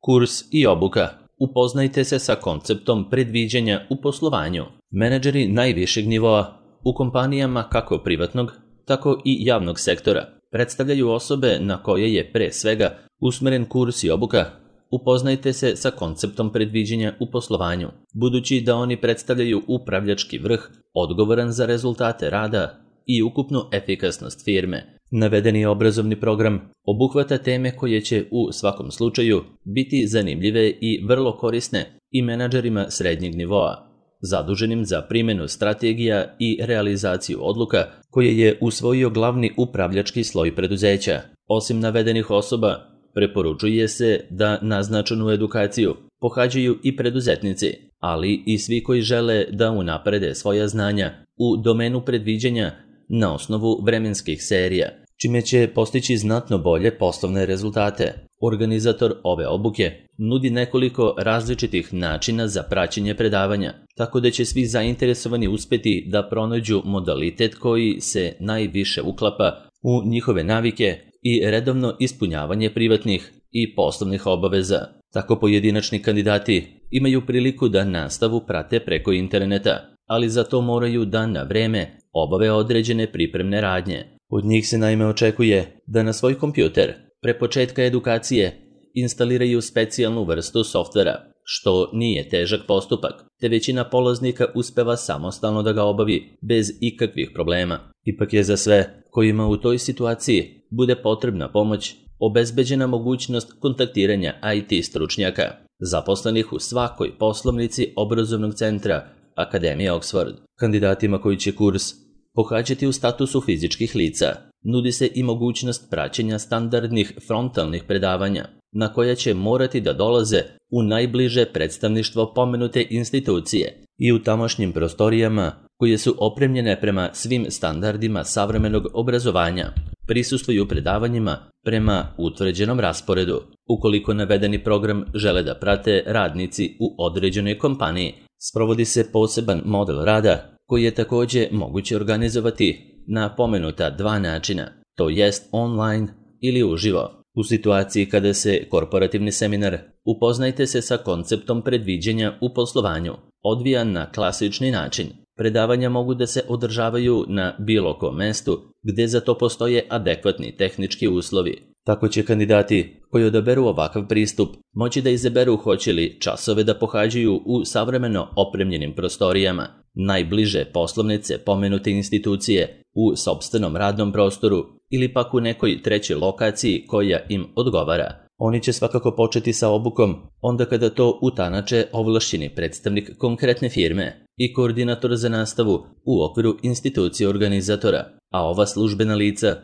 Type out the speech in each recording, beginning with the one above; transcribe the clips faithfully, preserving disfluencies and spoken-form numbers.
Kurs i obuka. Upoznajte se sa konceptom predviđanja u poslovanju. Menadžeri najvišeg nivoa u kompanijama kako privatnog, tako i javnog sektora predstavljaju osobe na koje je pre svega usmeren kurs i obuka. Upoznajte se sa konceptom predviđanja u poslovanju, budući da oni predstavljaju upravljački vrh odgovoran za rezultate rada i ukupnu efikasnost firme. Navedeni obrazovni program obuhvata teme koje će u svakom slučaju biti zanimljive i vrlo korisne i menadžerima srednjeg nivoa, zaduženim za primjenu strategija i realizaciju odluka koje je usvojio glavni upravljački sloj preduzeća. Osim navedenih osoba, preporučuje se da naznačenu edukaciju pohađaju i preduzetnici, ali i svi koji žele da unaprede svoja znanja u domenu predviđanja na osnovu vremenskih serija, čime će postići znatno bolje poslovne rezultate. Organizator ove obuke nudi nekoliko različitih načina za praćenje predavanja, tako da će svi zainteresovani uspeti da pronađu modalitet koji se najviše uklapa u njihove navike i redovno ispunjavanje privatnih i poslovnih obaveza. Tako pojedinačni kandidati imaju priliku da nastavu prate preko interneta, ali za to moraju da na vreme obave određene pripremne radnje. Od njih se naime očekuje da na svoj kompjuter pre početka edukacije instaliraju specijalnu vrstu softvera, što nije težak postupak, te većina polaznika uspeva samostalno da ga obavi bez ikakvih problema. Ipak je za sve kojima u toj situaciji bude potrebna pomoć obezbeđena mogućnost kontaktiranja I T stručnjaka, zaposlenih u svakoj poslovnici obrazovnog centra Akademije Oxford. Kandidatima koji će kurs pohađati u statusu fizičkih lica nudi se i mogućnost praćenja standardnih frontalnih predavanja, na koja će morati da dolaze u najbliže predstavništvo pomenute institucije i u tamošnjim prostorijama koje su opremljene prema svim standardima savremenog obrazovanja. Prisustvuju predavanjima prema utvrđenom rasporedu. Ukoliko navedeni program žele da prate radnici u određenoj kompaniji, sprovodi se poseban model rada koji je također moguće organizovati na pomenuta dva načina, to jest online ili uživo. U situaciji kada se korporativni seminar upoznajte se sa konceptom predviđanja u poslovanju odvija na klasični način. Predavanja mogu da se održavaju na bilo kom mestu gde za to postoje adekvatni tehnički uslovi. Tako će kandidati koji odaberu ovakav pristup moći da izaberu hoće li časove da pohađaju u savremeno opremljenim prostorijama, najbliže poslovnice pomenute institucije u sopstvenom radnom prostoru ili pak u nekoj trećoj lokaciji koja im odgovara. Oni će svakako početi sa obukom onda kada to utanače ovlašćeni predstavnik konkretne firme i koordinator za nastavu u okviru institucije organizatora, a ova službena lica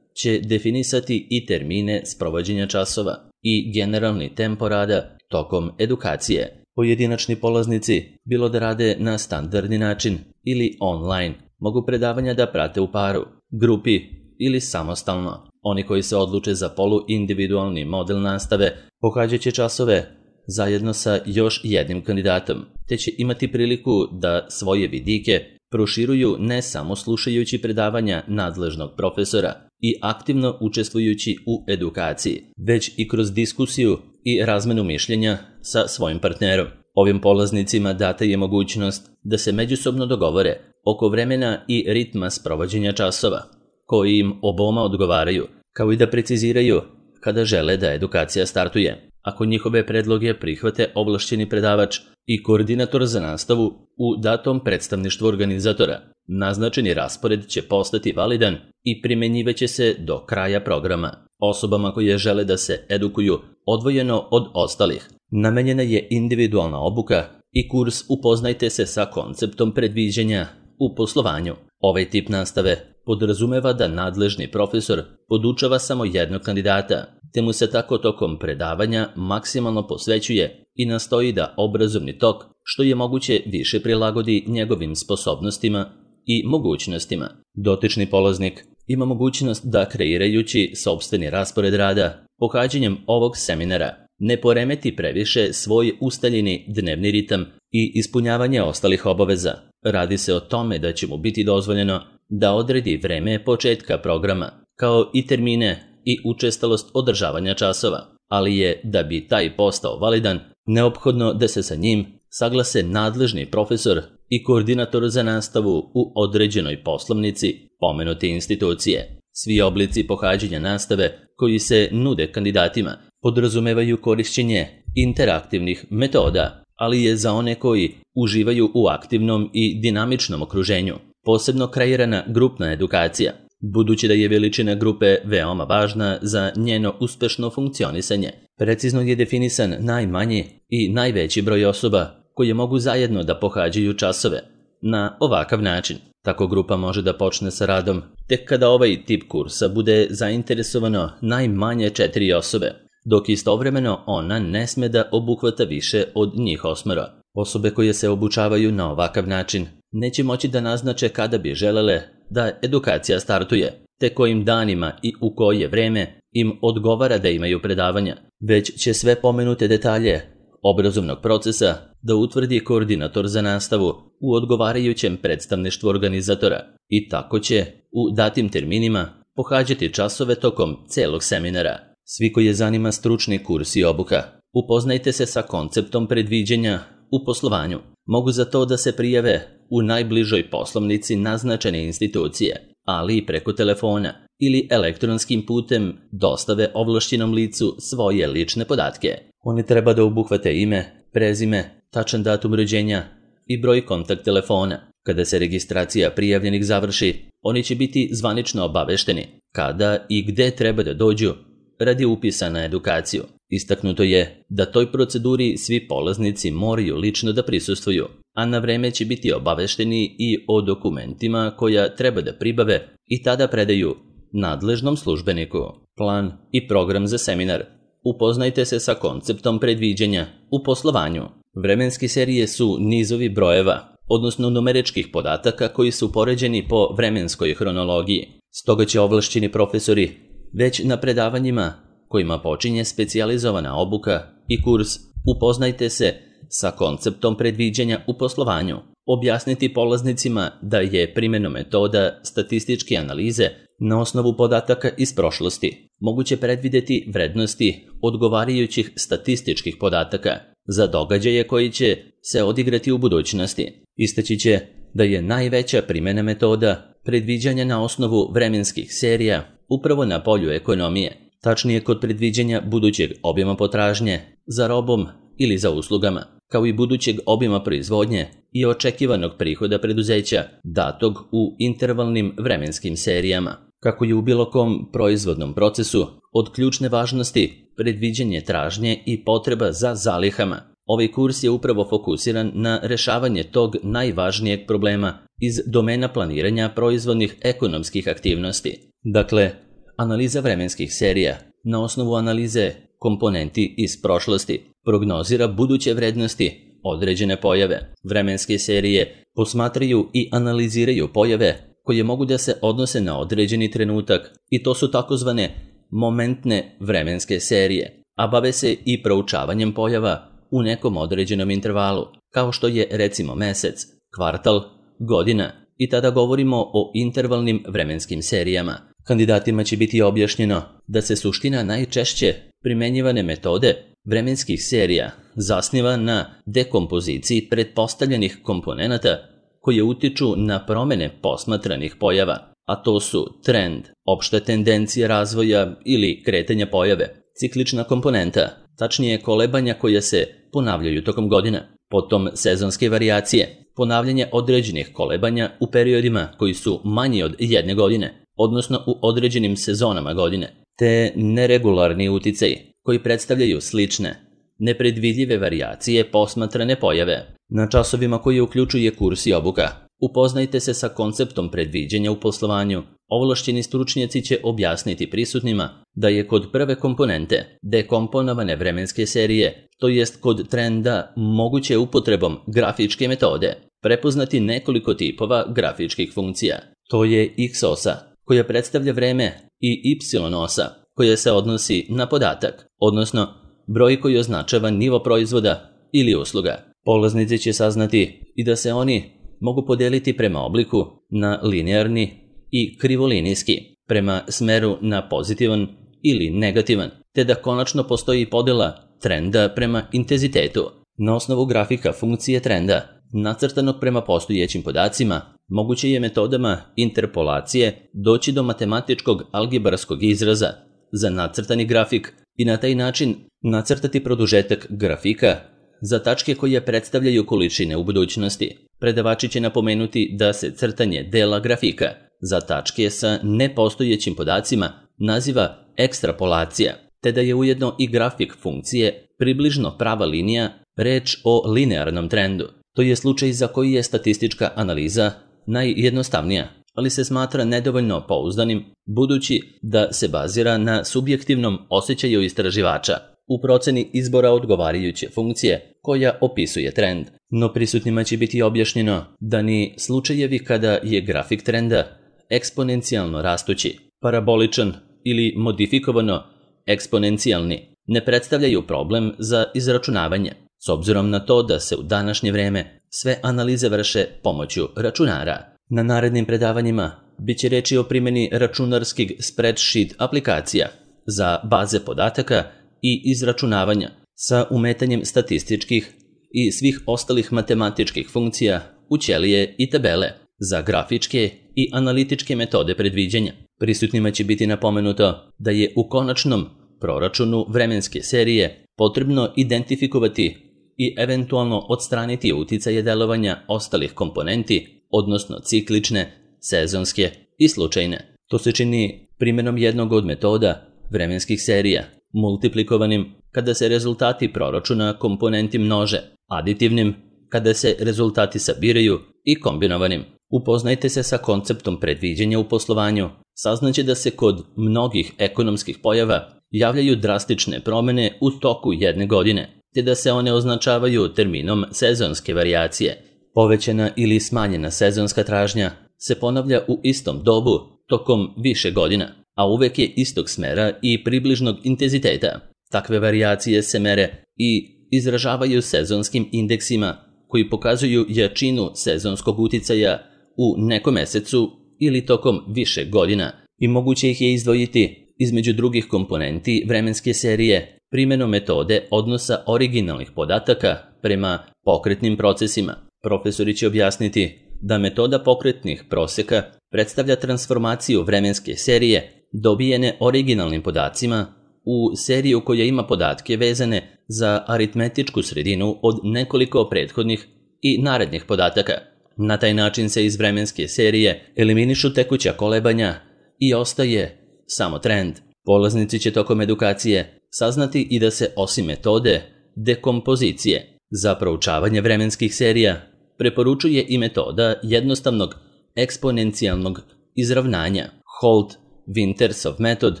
će definisati i termine sprovođenja časova i generalni tempo rada tokom edukacije. Pojedinačni polaznici, bilo da rade na standardni način ili online, mogu predavanja da prate u paru, grupi ili samostalno. Oni koji se odluče za poluindividualni model nastave pohađat će časove zajedno sa još jednim kandidatom, te će imati priliku da svoje vidike proširuju ne samo slušajući predavanja nadležnog profesora i aktivno učestvujući u edukaciji, već i kroz diskusiju i razmenu mišljenja sa svojim partnerom. Ovim polaznicima data je mogućnost da se međusobno dogovore oko vremena i ritma sprovođenja časova, koji im oboma odgovaraju, kao i da preciziraju kada žele da edukacija startuje. Ako njihove predloge prihvate ovlašćeni predavač i koordinator za nastavu u datom predstavništvu organizatora, naznačeni raspored će postati validan i primjenjivaće se do kraja programa. Osobama koje žele da se edukuju odvojeno od ostalih namenjena je individualna obuka i kurs upoznajte se sa konceptom predviđanja u poslovanju. Ovaj tip nastave podrazumeva da nadležni profesor podučava samo jednog kandidata, te mu se tako tokom predavanja maksimalno posvećuje i nastoji da obrazovni tok što je moguće više prilagodi njegovim sposobnostima i mogućnostima. Dotični polaznik ima mogućnost da kreirajući sopstveni raspored rada pohađanjem ovog seminara ne poremeti previše svoj ustaljeni dnevni ritam i ispunjavanje ostalih obaveza. Radi se o tome da će mu biti dozvoljeno da odredi vreme početka programa, kao i termine i učestalost održavanja časova. ali je, da bi taj postao validan, neophodno da se sa njim saglase nadležni profesor i koordinator za nastavu u određenoj poslovnici pomenute institucije. Svi oblici pohađanja nastave koji se nude kandidatima podrazumevaju korišćenje interaktivnih metoda, ali je za one koji uživaju u aktivnom i dinamičnom okruženju posebno kreirana grupna edukacija, budući da je veličina grupe veoma važna za njeno uspešno funkcionisanje. Precizno je definisan najmanji i najveći broj osoba koje mogu zajedno da pohađaju časove. Na ovakav način, tako grupa može da počne sa radom tek kada ovaj tip kursa bude zainteresovano najmanje četiri osobe, dok istovremeno ona ne sme da obuhvata više od njih osmero. Osobe koje se obučavaju na ovakav način neće moći da naznače kada bi želele da edukacija startuje, te kojim danima i u koje vreme im odgovara da imaju predavanja, već će sve pomenute detalje obrazovnog procesa da utvrdi koordinator za nastavu u odgovarajućem predstavništvu organizatora i tako će u datim terminima pohađati časove tokom celog seminara. Svi koje zanima stručni kurs i obuka, upoznajte se sa konceptom predviđanja u poslovanju. Mogu za to da se prijave u najbližoj poslovnici naznačene institucije, ali i preko telefona ili elektronskim putem dostave ovlašćenom licu svoje lične podatke. Oni treba da obuhvate ime, prezime, tačan datum rođenja i broj kontakt telefona. Kada se registracija prijavljenih završi, oni će biti zvanično obavešteni kada i gde treba da dođu radi upisa na edukaciju. Istaknuto je da toj proceduri svi polaznici moraju lično da prisustvuju, a na vreme će biti obavešteni i o dokumentima koja treba da pribave i tada predaju nadležnom službeniku. Plan i program za seminar. Upoznajte se sa konceptom predviđanja u poslovanju. Vremenske serije su nizovi brojeva, odnosno numeričkih podataka koji su poređeni po vremenskoj hronologiji. Stoga će ovlašćeni profesori već na predavanjima kojima počinje specijalizovana obuka i kurs upoznajte se sa konceptom predviđanja u poslovanju, objasniti polaznicima da je primenom metoda statističke analize na osnovu podataka iz prošlosti moguće predvideti vrednosti odgovarajućih statističkih podataka za događaje koji će se odigrati u budućnosti. Istaći će da je najveća primena metoda predviđanja na osnovu vremenskih serija upravo na polju ekonomije, tačnije kod predviđanja budućeg obima potražnje za robom ili za uslugama, kao i budućeg obima proizvodnje i očekivanog prihoda preduzeća datog u intervalnim vremenskim serijama. Kako je u bilo kom proizvodnom procesu od ključne važnosti predviđanje tražnje i potreba za zalihama, ovaj kurs je upravo fokusiran na rešavanje tog najvažnijeg problema iz domena planiranja proizvodnih ekonomskih aktivnosti. Dakle, analiza vremenskih serija na osnovu analize komponenti iz prošlosti prognozira buduće vrednosti određene pojave. Vremenske serije posmatraju i analiziraju pojave koje mogu da se odnose na određeni trenutak i to su takozvane momentne vremenske serije, a bave se i proučavanjem pojava u nekom određenom intervalu, kao što je recimo mesec, kvartal, godina i tada govorimo o intervalnim vremenskim serijama. Kandidatima će biti objašnjeno da se suština najčešće primenjivane metode vremenskih serija zasniva na dekompoziciji pretpostavljenih komponenata koje utiču na promene posmatranih pojava, a to su trend, opšta tendencija razvoja ili kretanja pojave, ciklična komponenta, tačnije kolebanja koja se ponavljaju tokom godina, potom sezonske varijacije, ponavljanje određenih kolebanja u periodima koji su manji od jedne godine, odnosno u određenim sezonama godine, te neregularni uticaji koji predstavljaju slične, nepredvidljive varijacije posmatrane pojave. Na časovima koji uključuje kurs i obuka, upoznajte se sa konceptom predviđanja u poslovanju. Ovlašćeni stručnjaci će objasniti prisutnima da je kod prve komponente dekomponovane vremenske serije, to jest kod trenda moguće upotrebom grafičke metode, prepoznati nekoliko tipova grafičkih funkcija. To je X-osa, koja predstavlja vreme, i Y-osa, koja se odnosi na podatak, odnosno broj koji označava nivo proizvoda ili usluga. Polaznici će saznati i da se oni mogu podeliti prema obliku na linearni i krivolinijski, prema smeru na pozitivan ili negativan, te da konačno postoji podela trenda prema intenzitetu. Na osnovu grafika funkcije trenda, nacrtanog prema postojećim podacima, moguće je metodama interpolacije doći do matematičkog algebarskog izraza za nacrtani grafik i na taj način nacrtati produžetak grafika za tačke koje predstavljaju količine u budućnosti. Predavači će napomenuti da se crtanje dela grafika za tačke sa nepostojećim podacima naziva ekstrapolacija, te da je ujedno i grafik funkcije približno prava linija reč o linearnom trendu. To je slučaj za koji je statistička analiza najjednostavnija, ali se smatra nedovoljno pouzdanim budući da se bazira na subjektivnom osjećaju istraživača u proceni izbora odgovarajuće funkcije koja opisuje trend. No prisutnima će biti objašnjeno da ni slučajevi kada je grafik trenda eksponencijalno rastući, paraboličan ili modifikovano eksponencijalni ne predstavljaju problem za izračunavanje, s obzirom na to da se u današnje vreme sve analize vrše pomoću računara. Na narednim predavanjima bit će reći o primjeni računarskih spreadsheet aplikacija za baze podataka i izračunavanja sa umetanjem statističkih i svih ostalih matematičkih funkcija u ćelije i tabele za grafičke i analitičke metode predviđanja. Prisutnima će biti napomenuto da je u konačnom proračunu vremenske serije potrebno identifikovati i eventualno odstraniti uticaje delovanja ostalih komponenti, odnosno ciklične, sezonske i slučajne. To se čini primjenom jednog od metoda vremenskih serija, multiplikovanim kada se rezultati proračuna komponenti množe, aditivnim kada se rezultati sabiraju i kombinovanim. Upoznajte se sa konceptom predviđanja u poslovanju. Saznaće da se kod mnogih ekonomskih pojava javljaju drastične promjene u toku jedne godine, te da se one označavaju terminom sezonske varijacije. Povećana ili smanjena sezonska tražnja se ponavlja u istom dobu tokom više godina, a uvek je istog smera i približnog intenziteta. Takve varijacije se mere i izražavaju sezonskim indeksima koji pokazuju jačinu sezonskog uticaja u nekom mesecu ili tokom više godina i moguće ih je izdvojiti između drugih komponenti vremenske serije primjenom metode odnosa originalnih podataka prema pokretnim procesima. Profesori će objasniti da metoda pokretnih proseka predstavlja transformaciju vremenske serije dobijene originalnim podacima u seriju koja ima podatke vezane za aritmetičku sredinu od nekoliko prethodnih i narednih podataka. Na taj način se iz vremenske serije eliminišu tekuća kolebanja i ostaje samo trend. Polaznici će tokom edukacije saznati i da se osim metode dekompozicije za proučavanje vremenskih serija preporučuje i metoda jednostavnog eksponencijalnog izravnanja, Holt-Wintersov metod,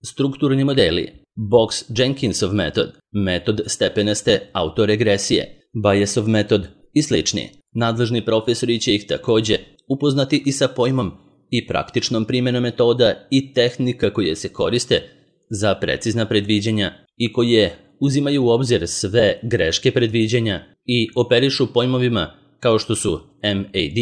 strukturni modeli, Box-Jenkinsov metod, metod stepenaste autoregresije, Bayesov metod i slični. Nadležni profesori će ih također upoznati i sa pojmom i praktičnom primjenom metoda i tehnika koje se koriste za precizna predviđanja i koje uzimaju u obzir sve greške predviđanja i operišu pojmovima kao što su M A D,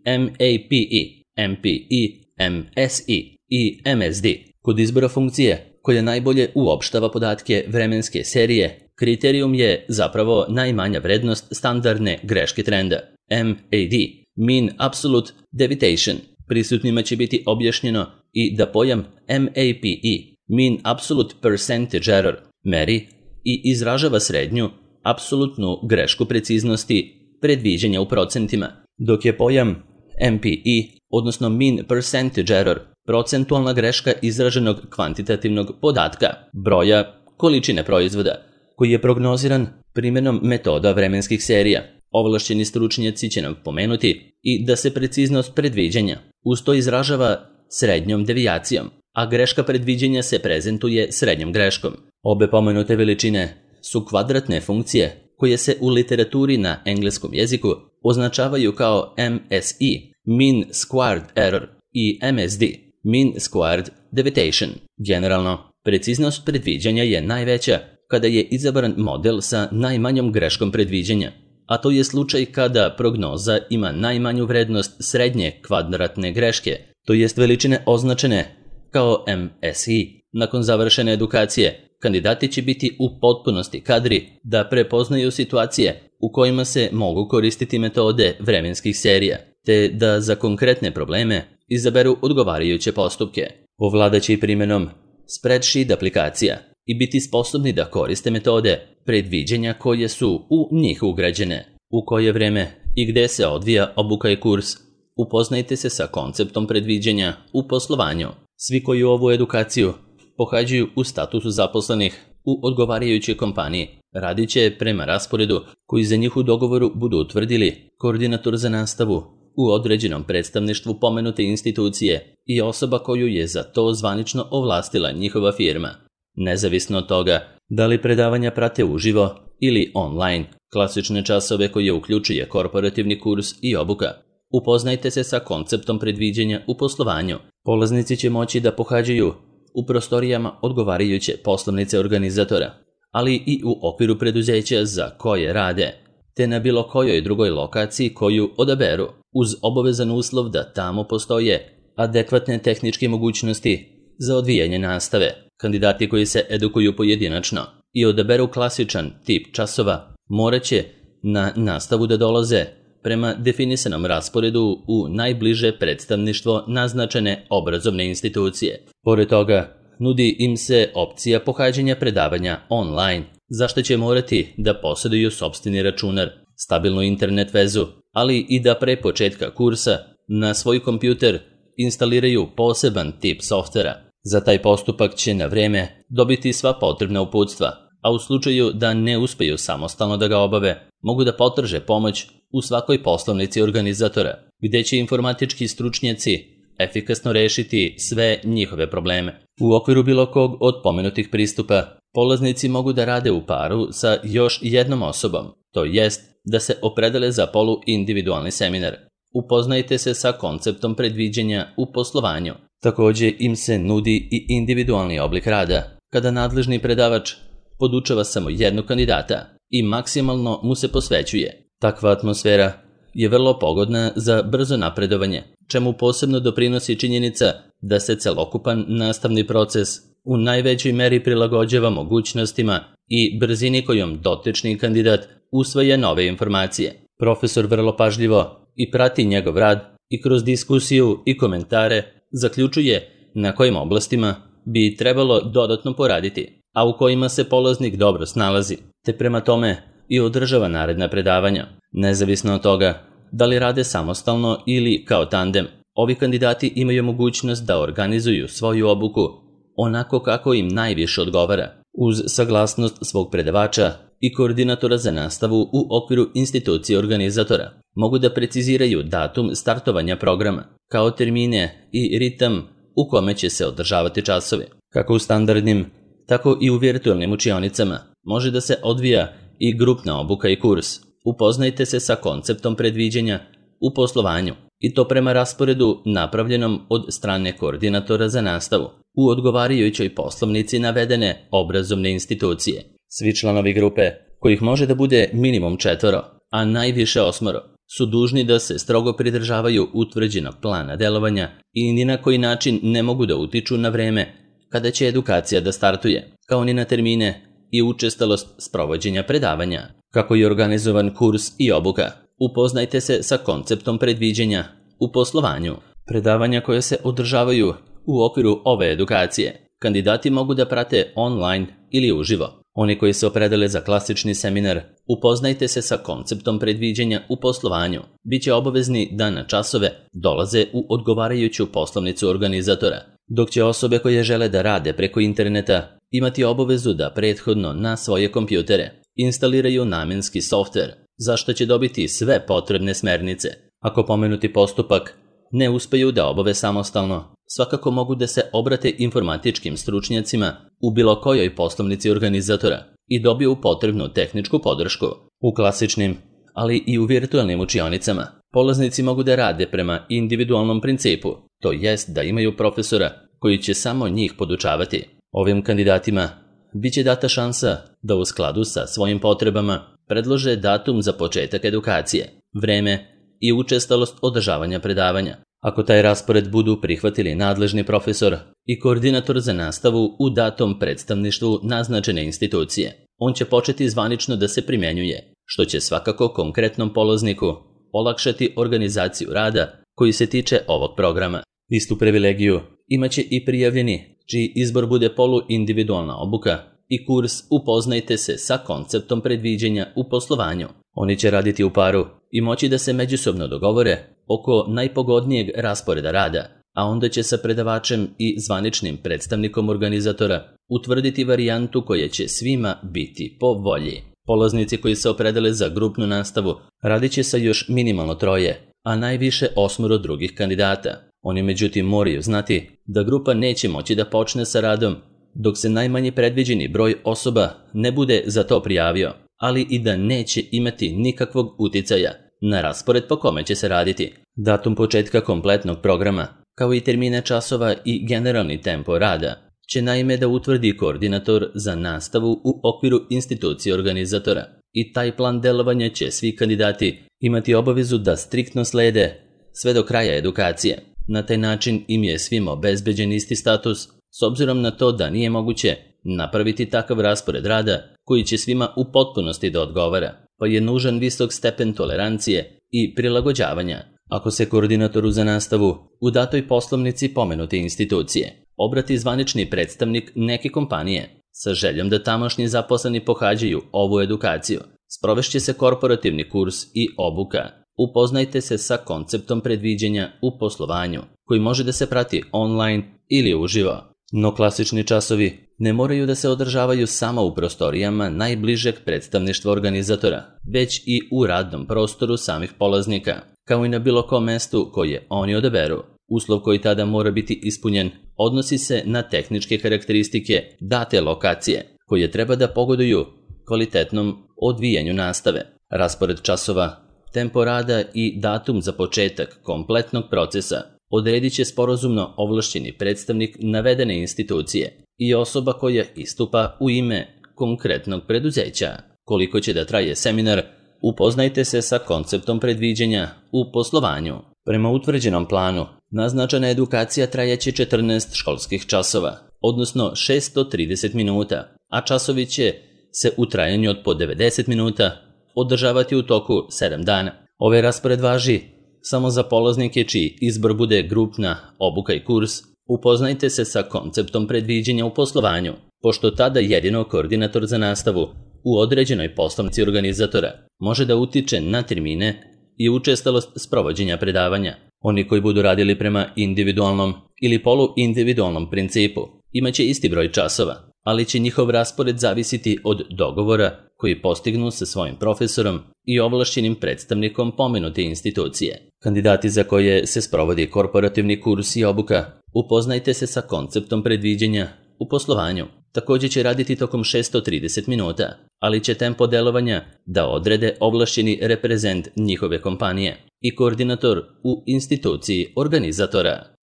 M A P E, M P E, M S E i M S D. Kod izbora funkcije koja najbolje uopštava podatke vremenske serije, kriterijum je zapravo najmanja vrednost standardne greške trenda, M A D, Mean Absolute Deviation. Prisutnima će biti objašnjeno i da pojam M A P E, Mean Absolute Percentage Error, meri i izražava srednju, apsolutnu grešku preciznosti predviđanja u procentima, dok je pojam M P E, odnosno Mean Percentage Error, procentualna greška izraženog kvantitativnog podatka, broja, količine proizvoda, koji je prognoziran primjenom metoda vremenskih serija. Ovlašćeni stručnjaci će nam pomenuti i da se preciznost predviđanja uz to izražava srednjom devijacijom, a greška predviđanja se prezentuje srednjom greškom. Obe pomenute veličine su kvadratne funkcije koje se u literaturi na engleskom jeziku označavaju kao M S E, Mean Squared Error, i M S D, Mean Squared Deviation. Generalno, preciznost predviđanja je najveća kada je izabran model sa najmanjom greškom predviđanja, a to je slučaj kada prognoza ima najmanju vrednost srednje kvadratne greške, to jest veličine označene kao M S E. Nakon završene edukacije, kandidati će biti u potpunosti kadri da prepoznaju situacije u kojima se mogu koristiti metode vremenskih serija, te da za konkretne probleme izaberu odgovarajuće postupke. Ovladaće i primjenom spreadsheet aplikacija i biti sposobni da koriste metode predviđanja koje su u njih ugrađene. U koje vreme i gde se odvija obuka i kurs, upoznajte se sa konceptom predviđanja u poslovanju. Svi koji ovu edukaciju pohađaju u statusu zaposlenih u odgovarajućoj kompaniji radit će prema rasporedu koji za njih u dogovoru budu utvrdili koordinator za nastavu u određenom predstavništvu pomenute institucije i osoba koju je za to zvanično ovlastila njihova firma. Nezavisno od toga da li predavanja prate uživo ili online, klasične časove koje uključuje korporativni kurs i obuka. Upoznajte se sa konceptom predviđanja u poslovanju. Polaznici će moći da pohađaju u prostorijama odgovarajuće poslovnice organizatora, ali i u okviru preduzeća za koje rade, te na bilo kojoj drugoj lokaciji koju odaberu, uz obavezan uslov da tamo postoje adekvatne tehničke mogućnosti za odvijanje nastave. Kandidati koji se edukuju pojedinačno i odaberu klasičan tip časova morat će na nastavu da dolaze prema definisanom rasporedu u najbliže predstavništvo naznačene obrazovne institucije. Pored toga, nudi im se opcija pohađanja predavanja online, za što će morati da posjeduju sopstveni računar, stabilnu internet vezu, ali i da pre početka kursa na svoj kompjuter instaliraju poseban tip softvera. Za taj postupak će na vreme dobiti sva potrebna uputstva, a u slučaju da ne uspeju samostalno da ga obave, mogu da potraže pomoć u svakoj poslovnici organizatora, gde će informatički stručnjaci efikasno rešiti sve njihove probleme. U okviru bilo kog od pomenutih pristupa, polaznici mogu da rade u paru sa još jednom osobom, to jest da se opredele za polu-individualni seminar. Upoznajte se sa konceptom predviđanja u poslovanju. Također im se nudi i individualni oblik rada, kada nadležni predavač podučava samo jednog kandidata i maksimalno mu se posvećuje. Takva atmosfera je vrlo pogodna za brzo napredovanje, čemu posebno doprinosi činjenica da se celokupan nastavni proces u najvećoj meri prilagođava mogućnostima i brzini kojom dotični kandidat usvaja nove informacije. Profesor vrlo pažljivo i prati njegov rad i kroz diskusiju i komentare zaključuje na kojim oblastima bi trebalo dodatno poraditi, a u kojima se polaznik dobro snalazi, te prema tome i održava naredna predavanja. Nezavisno od toga da li rade samostalno ili kao tandem, ovi kandidati imaju mogućnost da organizuju svoju obuku onako kako im najviše odgovara, uz saglasnost svog predavača i koordinatora za nastavu u okviru institucije organizatora. Mogu da preciziraju datum startovanja programa, kao termine i ritam u kome će se održavati časovi. Kako u standardnim, tako i u virtualnim učionicama može da se odvija i grupna obuka i kurs. Upoznajte se sa konceptom predviđanja u poslovanju i to prema rasporedu napravljenom od strane koordinatora za nastavu u odgovarajućoj poslovnici navedene obrazovne institucije. Svi članovi grupe, kojih može da bude minimum četvoro, a najviše osmoro, su dužni da se strogo pridržavaju utvrđenog plana delovanja i ni na koji način ne mogu da utiču na vreme kada će edukacija da startuje, kao ni na termine i učestalost sprovođenja predavanja. Kako je organizovan kurs i obuka, upoznajte se sa konceptom predviđanja u poslovanju. Predavanja koje se održavaju u okviru ove edukacije, kandidati mogu da prate online ili uživo. Oni koji se opredele za klasični seminar, upoznajte se sa konceptom predviđanja u poslovanju. Biće obavezni da na časove dolaze u odgovarajuću poslovnicu organizatora, dok će osobe koje žele da rade preko interneta imati obavezu da prethodno na svoje kompjutere instaliraju namenski softver, za što će dobiti sve potrebne smernice. Ako pomenuti postupak ne uspeju da obave samostalno, svakako mogu da se obrate informatičkim stručnjacima u bilo kojoj poslovnici organizatora i dobiju potrebnu tehničku podršku. U klasičnim, ali i u virtualnim učionicama, polaznici mogu da rade prema individualnom principu, to jest da imaju profesora koji će samo njih podučavati. Ovim kandidatima biće data šansa da u skladu sa svojim potrebama predlože datum za početak edukacije, vreme i učestalost održavanja predavanja. Ako taj raspored budu prihvatili nadležni profesor i koordinator za nastavu u datom predstavništvu naznačene institucije, on će početi zvanično da se primjenjuje, što će svakako konkretnom polazniku olakšati organizaciju rada koji se tiče ovog programa. Istu privilegiju imaće i prijavljeni, čiji izbor bude poluindividualna obuka i kurs Upoznajte se sa konceptom predviđanja u poslovanju. Oni će raditi u paru i moći da se međusobno dogovore oko najpogodnijeg rasporeda rada, a onda će sa predavačem i zvaničnim predstavnikom organizatora utvrditi varijantu koja će svima biti po volji. Polaznici koji se opredele za grupnu nastavu radit će sa još minimalno troje, a najviše osmoro drugih kandidata. Oni međutim moraju znati da grupa neće moći da počne sa radom dok se najmanji predviđeni broj osoba ne bude za to prijavio, ali i da neće imati nikakvog uticaja na raspored po kome će se raditi. Datum početka kompletnog programa, kao i termine časova i generalni tempo rada, će naime da utvrdi koordinator za nastavu u okviru institucije organizatora i taj plan delovanja će svi kandidati imati obavezu da striktno slede sve do kraja edukacije. Na taj način im je svima obezbeđen isti status, s obzirom na to da nije moguće napraviti takav raspored rada koji će svima u potpunosti da odgovara, pa je nužan visok stepen tolerancije i prilagođavanja. Ako se koordinatoru za nastavu u datoj poslovnici pomenute institucije obrati zvanični predstavnik neke kompanije sa željom da tamošnji zaposleni pohađaju ovu edukaciju, sprovešće se korporativni kurs i obuka Upoznajte se sa konceptom predviđanja u poslovanju, koji može da se prati online ili uživo. No klasični časovi ne moraju da se održavaju samo u prostorijama najbližeg predstavništva organizatora, već i u radnom prostoru samih polaznika, kao i na bilo kom mestu koje oni odaberu. Uslov koji tada mora biti ispunjen odnosi se na tehničke karakteristike date lokacije, koje treba da pogoduju kvalitetnom odvijanju nastave. Raspored časova, tempo rada i datum za početak kompletnog procesa odredit će sporazumno ovlašćeni predstavnik navedene institucije i osoba koja istupa u ime konkretnog preduzeća. Koliko će da traje seminar, upoznajte se sa konceptom predviđanja u poslovanju. Prema utvrđenom planu, naznačena edukacija trajaće četrnaest školskih časova, odnosno šeststo trideset minuta, a časovi će se u trajanju od po devedeset minuta održavati u toku sedam dana. Ovaj raspored važi samo za polaznike čiji izbor bude grupna obuka i kurs. Upoznajte se sa konceptom predviđanja u poslovanju, pošto tada jedino koordinator za nastavu u određenoj poslovnici organizatora može da utiče na termine i učestalost sprovođenja predavanja. Oni koji budu radili prema individualnom ili poluindividualnom principu imaće isti broj časova, ali će njihov raspored zavisiti od dogovora koji postignu sa svojim profesorom i ovlašćenim predstavnikom pomenute institucije. Kandidati za koje se sprovodi korporativni kurs i obuka, upoznajte se sa konceptom predviđanja u poslovanju. Također će raditi tokom šeststo trideset minuta, ali će tempo delovanja da odrede ovlašćeni reprezent njihove kompanije i koordinator u instituciji organizatora.